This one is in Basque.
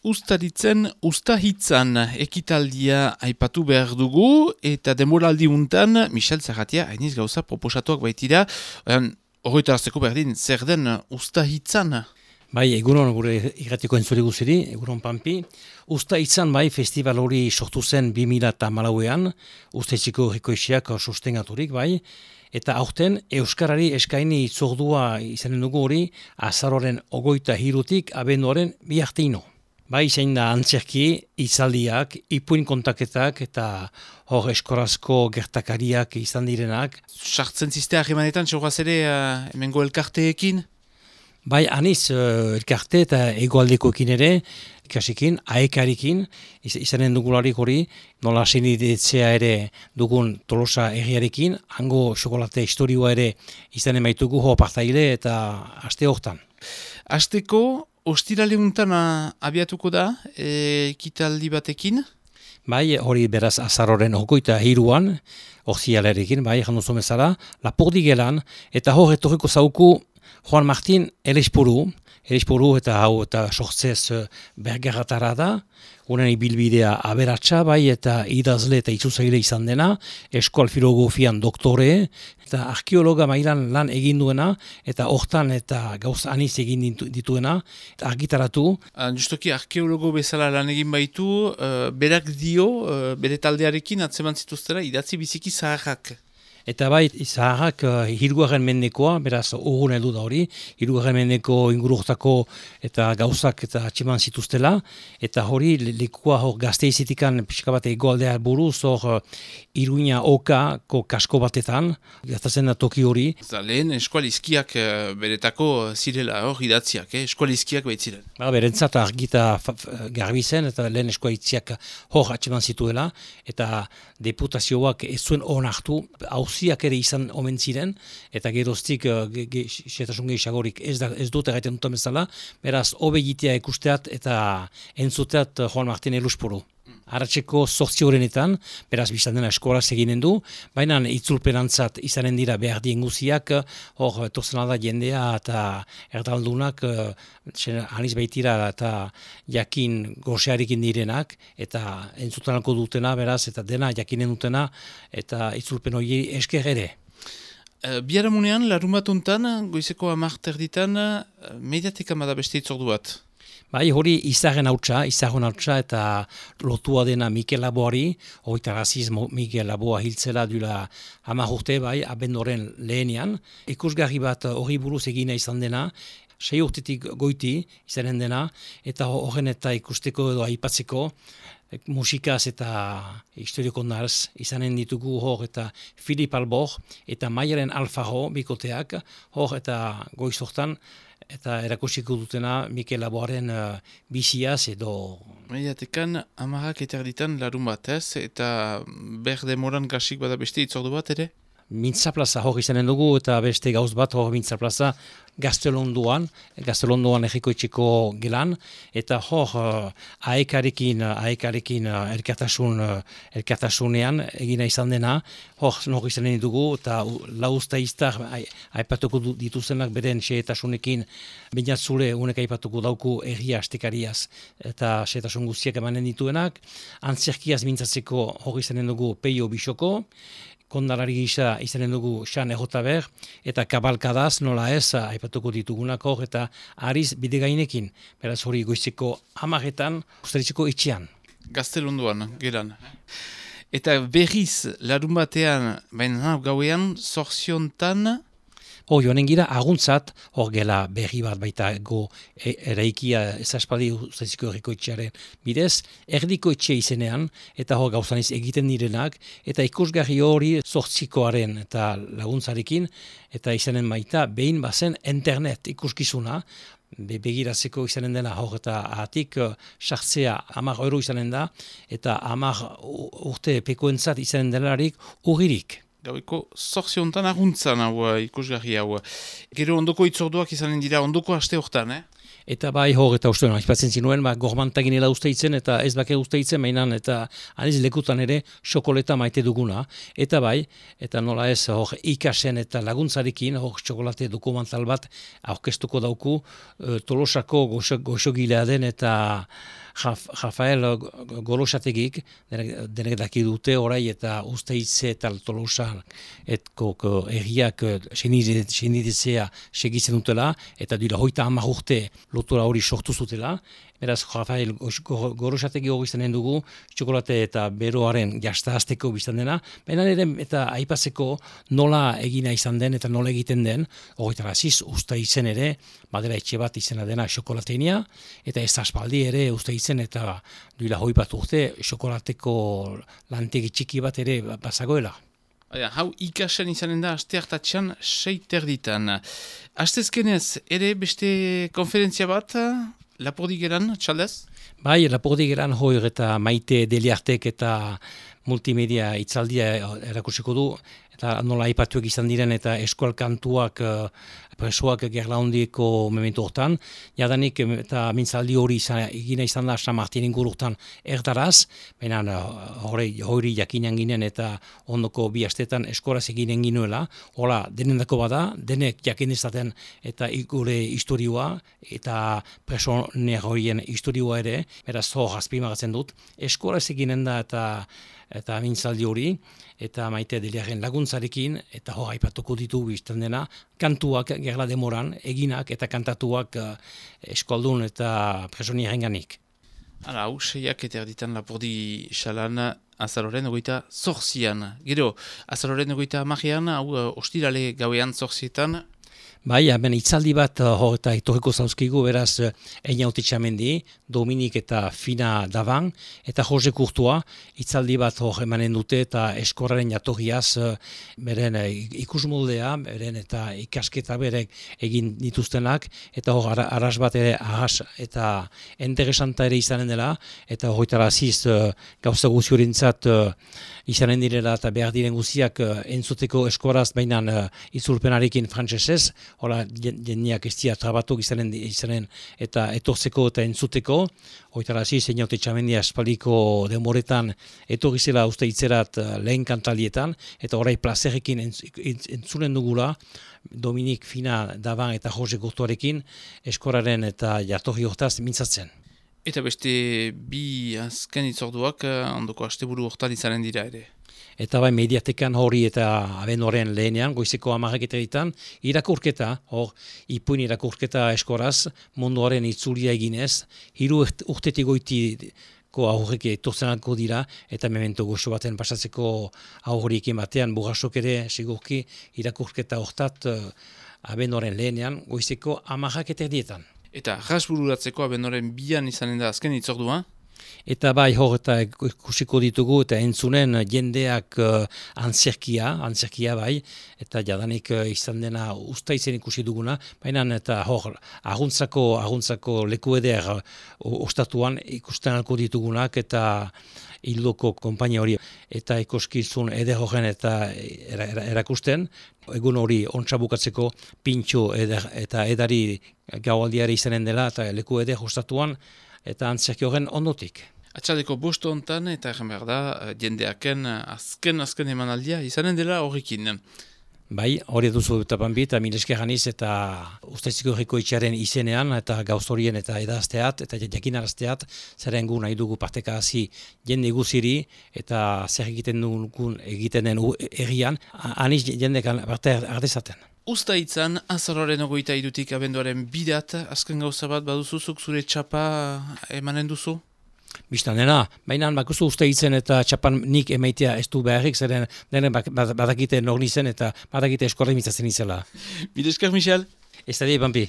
Uztaritzen Uztahitzan ekitaldia aipatu behar dugu eta demoraldi untan Michel Zerratia hainiz gauza proposatuak baitira. Horreita hartzeko berdin, zer den Uztahitzan? Bai, egunon gure irratiko entzule guziri, egunon Pampi. Uztahitzan bai festival hori sortu zen 2014an, Uztaitzeko herrikoetxeak sostengaturik bai, eta aurten Euskarari eskaini itzordua izanen dugu hori azaroaren 23 abenduaren 2 arteino. Bai, zein da antzerki, hitzaldiak, ipuin kontaketak eta hor eskorazko gertakariak izan direnak. Sartzen ziste harremanetan, txorraz ere hemengo elkarteekin? Bai, aniz elkarte eta egoaldekoekin ere, ikasikin, aekarikin, izanen dugularik hori, nola senidetzea ere dugun Tolosa herriarekin, hango xokolate historioa ere izanen baitugu ho partaile eta aste hortan. Asteko, ostirale untan abiatuko da ekitaldi batekin? Bai, hori beraz azaroren 23an, orzialarekin, bai, janduzo bezala, Lapurdi gelan, eta hor etorriko zauku Juan Martin Elespuru eta hau eta sortzez bergarratara da, unen ibilbidea aberatsa bai eta idazle eta itzuzaile izan dena, eskoal filosofian doktore, eta arkeologa mailan lan egin duena, eta hortan eta gauz aniz egin dituena, eta argitaratu. Justoki arkeologo bezala lan egin baitu, berak dio, bere taldearekin atzeman zituztera idatzi biziki zaharrak. Eta bai, zaharrak hirugarren mendekoa, beraz urgun heldu da hori, hirugarren mendeko ingururtako eta gauzak eta atxeman zituztela, eta hori lekua hor Gasteizitikan pixka bat egoaldea buruz, hor Iruña Okako kasko batetan, gertatzen da toki hori. Lehen eskualizkiak beretako zirela hor idatziak, eskualizkiak baitziren. Berentzat argita garbi zen, eta lehen eskualizkiak hor atxeman zituela, eta deputazioak ez zuen onartu, hauziak ere izan omen ziren, eta geroztik xetasun gehiagorik ez dut egiten duten bezala, beraz, hobe egitea ikusteat eta entzuteat Juan Martin Elespuru. Arratseko 8 horrenetan, beraz biztan dena eskolaz eginen du, baina itzulpenantzat izanen dira behar dien guziak, hor torzen da jendea eta erdaldunak, aniz baitira eta jakin gosearekin direnak, eta entzutanako dutena, beraz, eta dena jakinen dutena, eta itzulpen hori esker ere. Biharamunean, larun bat untan, goizeko 10 erditan, mediatika bada beste itzordu bat. Bai, hori izagen hautsa eta lotua dena Mikel Laboari, hogeita raziz Mikel Laboa hiltzela dula 10 urte, bai, abendoren lehenean. Ikusgarri bat hori buruz egina izan dena, 6 urtetik goiti izanen dena, eta horren eta ikusteko edo aipatzeko, musikaz eta historioko narz izanen ditugu hor eta Filip Albor eta Maialen Alfaro bikoteak, hor eta goiz hortan, eta erakusiko dutena Mikel Laboaren biziaz edo... Mediatekan 10 eterditan larun batez, eta ber demoran gasik bada beste itzordu bat ere? Mintzaplaza hor izanen dugu eta beste gauz bat hor Mintzaplaza Gaztelondoan herrikoetxeko gelan, eta hor aekarekin elkartasunean egina izan dena, hor izanen dugu eta lauztaiztar aipatuko dituzenak beren xehetasunekin, bainatzule unek aipatuko dauku erria astekariaz eta xehetasun guztiak emanen dituenak, antzerkiaz mintzatzeko hor izanen dugu Peio Bisoko, kondalari gisa izanen dugu Xan Ejotaber, eta kabalkadaz nola ez aipatuko ditugunak hor, eta ariz bidegainekin, beraz hori goizeko 10etan, Uztaritzeko etxean. Gaztelondoan, geran. Eta berriz, larun batean, baina gauean, zorziontan... Joanen gira aguntzat, hor gela berri bat baita go eraikia ezaspaldi Uztaitzeko herrikoetxearen bidez, erdiko etxe izenean, eta hor gauzaniz egiten direnak, eta ikusgarri hori zortzikoaren eta laguntzarekin, eta izanen baita behin bazen internet ikuskizuna, begiratzeko izanen dena hor eta ahatik sartzea 10 euro izanen da, eta 10 urte pekoentzat izanen delarik urririk. Gaueko zorziontan aguntzan hau ikusgarri hau. Gero ondoko itzorduak izanen dira ondoko aste hortan, Eta bai hor eta uste aipatzen zinuen, gormantaginela usteitzen eta ez bake usteitzen mainan eta aniz lekutan ere xokoleta maite duguna. Eta bai, eta nola ez hor ikasen eta laguntzarekin hor txokolate dokumental bat aurkeztuko dauku Tolosako goxogilea den eta Rafael Golosategik, denek daki dute orai eta Usteitze eta Tolosan etko erriak senidizea segitzen dutela, eta duela 30 urte lotura hori sortu zutela. Beraz, Rafael Gorosategi hori izan dugu, txokolate eta beroaren jastahazteko biztan dena, baina ere eta aipatzeko nola egina izan den eta nola egiten den, horretara aziz, Usteitzen ere, badela etxe bat izena dena xokolateinia, eta ez aspaldi ere Usteitzen eta duela 20 urte xokolateko lantegi txiki bat ere bazagoela. Hau ikasen izanen da aste hartatxan 6:30. Astezkenez ere beste konferentzia bat, Lapurdigeran, txaldez? Bai, Lapurdigeran hoir eta Maite Deliartek eta multimedia itzaldia erakutsiko du, eta nola aipatuak izan diren eta eskual kantuak presoak gerlaundiko mementu hortan. Jadanik eta mintzaldi hori egina izan da San Martin ingururtan erdaraz, baina hori jakinan ginen eta ondoko bi astetan eskolaz eginen ginuela. Hola, denendako bada, denek jakin izaten eta gure historioa eta presoner horien historioa ere, beraz hor azpimagatzen dut. Eskolaz eginen da eta mintzaldi hori, eta Maite Deliaren laguntzarekin, eta hor aipatuko ditu biztan dena, kantuak gerla demoran, eginak eta kantatuak eskualdun eta presoniarenganik. Hala, hau, 6:30 Lapurdi xalan azaroren 28. Gero, azaroren 30, hau ostirale gauean 8. Bai, hemen itzaldi bat hor eta etorriko zauzkigu, beraz Einaute Txamendi, Dominik eta Fina Davan, eta Jose Kurtua, itzaldi bat hor emanen dute eta eskorraren jatorriaz beren ikusmoldea, beren eta ikasketa berek egin dituztenak, eta hor arras bat ere ahas eta interesanta ere izanen dela, eta horretara aziz gauza guziorentzat izanen direla eta behar diren guziak entzuteko eskoraz bainan itzulpenarekin frantsesez. Hola, jendeak ez dira trabatuk izanen eta etortzeko eta entzuteko. Hoitara aziz, Einaute Txamendi aspaldiko denboretan etorrizela Usteitzerat lehen kantalietan, eta orai plazerekin entzunen dugula, Dominik Fina Davan eta Jose Kurtuarekin eskoraren eta jatorri hortaz mintzatzen. Eta beste bi azken itzorduak ondoko asteburu hortan izanen dira ere. Eta bai mediatekan hori eta abenduaren lehenean, goizeko 10:00 irakurketa, hor ipuin irakurketa eskoraz, munduaren itzulia eginez, 3 urtetik goitiko aurrek etortzenako dira, eta memento goxo baten pasatzeko aurriekin batean, burrasok ere sigurki irakurketa hortat abenduaren lehenean, goizeko 10:00. Eta rasbururatzeko abenduaren 2 izanen da azken itzordua? Eta bai hor eta ikusiko ditugu eta entzunen jendeak antzerkia bai, eta jadanik izan dena Usteitzen ikusi duguna, baina eta hor aguntzako leku eder ostatuan ikusten alko ditugunak eta hildoko konpainia hori eta ikuskizun eder horren eta erakusten, egun hori ontsa bukatzeko pintxo eta edari gaualdiari izanen dela eta leku eder ostatuan, eta antzerki horren ondotik. Atxaldeko bost hontan eta erren behar da jendeaken azken emanaldia izanen dela horrekin. Bai, hori duzu eta banbi eta milesker aniz eta Usteitzeko Herriko Etxearen izenean eta gauz horien eta edazteat eta jakinarazteat zeren gu nahi dugu parteka hazi jende guziri eta zer egiten den errian, aniz jendekan parte ardezaten. Uztaitzan, azaroaren 23 abenduaren 2, azken gauza bat baduzuzuk zure txapa emanen duzu? Bistan dena, baina bakuzu Usteitzen eta txapan nik emaitea ez du beharrik, zeren denen badakite nor nizen eta badakite eskorre mitzatzen izela. Milesker, Michel? Ez da di, Bampi.